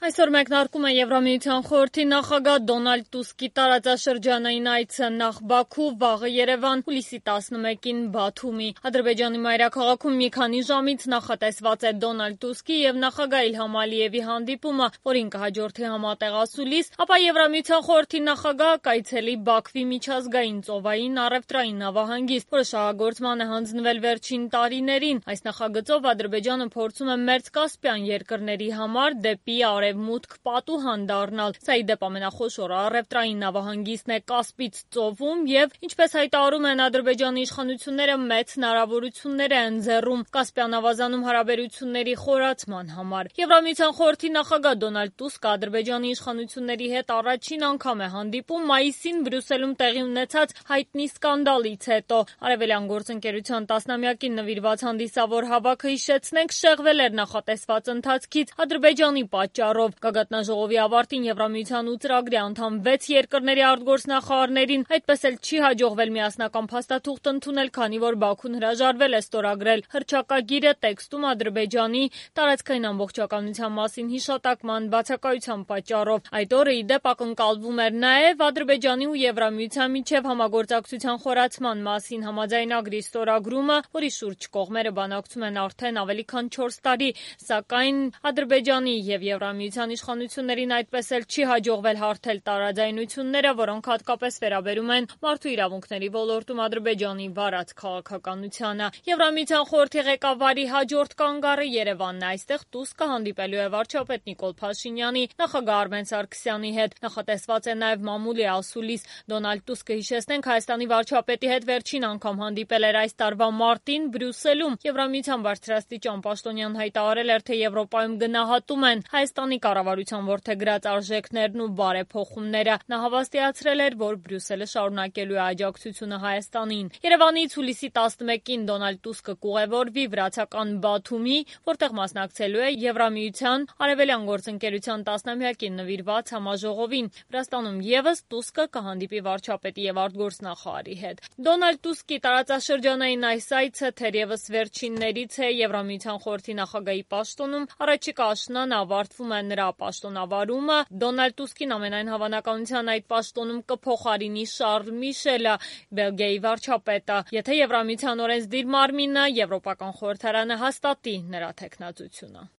Այսօր մեկնարկում է Եվրամիության խորհրդի նախագահ Դոնալդ Տուսկի տարածաշրջանային այցը նախ Բաքու, վաղը Երևան, հուլիսի 11-ին Բաթումի։ Ադրբեջանի մայրաքաղաքում մի քանի ժամից նախատեսված է Դոնալդ Տուսկի եւ նախագահ Իլհամ Ալիևի հանդիպումը, որին կհաջորդի համատեղ ասուլիս, ապա Եվրամիության խորհրդի նախագահը կայցելի Բաքվի միջազգային ծովային առևտրային նավահանգիստ, որը շահագործման է հանձնվել վերջին տարիներին։ Այս նախագծով Ադրբեջանը փորձում է Մերձկասպյան երկրների համար դեպի արևմուտք պատուհան դառնալ։ Սա ի դեպ ամենախոշոր առևտրային նավահանգիստն է Կասպից ծովում եւ, ինչպես հայտարարում են Ադրբեջանի իշխանությունները, մեծ հնարավորություններ է ընձեռում Կասպյան ավազանում հարաբերությունների խորացման համար։ Եվրամիության խորհրդի նախագահ Դոնալդ Տուսկը Ադրբեջանի իշխանությունների հետ առաջին անգամ է հանդիպում մայիսին Բրյուսելում տեղի ունեցած հայտնի սկանդալից հետո։ Արևելյան գործընկերության 10-ամյակին նվիրված հանդիսավոր հավաքը, հիշեցնենք, շեղվել էր նախատեսված ընթացքից Ադրբեջանի պատճառով։ Գագաթնաժողովի ավարտին Եվրամիության 8 ծրագրի անդամ 6 երկրների արտգործնախարարներին այդպես էլ չի հաջողվել միասնական փաստաթուղթ ընդունել, քանի որ Բաքուն հրաժարվել է ստորագրել հռչակագիրը տեքստում Ադրբեջանի տարածքային ամբողջականության մասին հիշատակման բացակայության պատճառով։ Այդ օրը ի դեպ ակնկալվում էր նաև Ադրբեջանի ու Եվրամիության միջև համագործակցության խորացման մասին համաձայնագրի ստորագրումը, որի շուրջ կողմերը բանակցում են արդեն ավելի քան 4 տարի, սակայն Ադրբեջանի եւ Եվրամիության իշխանություններին այդպես էլ չի հաջողվել հարթել տարաձայնությունները, որոնք հատկապես վերաբերում են մարդու իրավունքների ոլորտում Ադրբեջանի վարած քաղաքականությանը։ Եվրամիության խորհրդի ղեկավարի հաջորդ կանգառը Երևանն է։ Այստեղ Տուսկը հանդիպելու է վարչապետ Նիկոլ Փաշինյանի, նախագահ Արմեն Սարգսյանի հետ։ Նախատեսված է նաև մամուլի ասուլիս։ Դոնալդ Տուսկը, հիշեցնենք, Հայաստանի վարչապետի հետ վերջին անգամ հանդիպել էր այս տարվա մարտին Բրյուսելում։ Եվրամիության բարձրաստիճան պաշտոնյան հայտարարել էր, թե Եվրոպայում գնահատում են Հայաստանի կառավարության որդեգրած արժեքներն ու բարեփոխումները։ Նա հավաստիացրել էր, որ Բրյուսելը շարունակելու է աջակցությունը Հայաստանին։ Երևանից հուլիսի 11-ին Դոնալդ Տուսկը կուղևորվի վրացական Բաթումի, որտեղ մասնակցելու է Եվրամիության արևելյան գործընկերության 10-ամյակին նվիրված համաժողովին։ Վրաստանում ևս Տուսկը կհանդիպի վարչապետի եւ արտգործնախարարի հետ։ Դոնալդ Տուսկի տարածաշրջանային այս այցը թերևս վերջիններից է Եվրամիության խորհրդի նախագահի պաշտոնում։ Առաջիկա աշնանը ավարտվում է նրա պաշտոնավարումը։ Դոնալդ Տուսկին ամենայն հավանականության այդ պաշտոնում կփոխարինի Շարլ Միշելը, Բելգիայի վարչապետը, եթե Եվրամիության օրենսդիր մարմինը, Եվրոպական խորհրդարանը հաստատի նրա թեկնածությունը։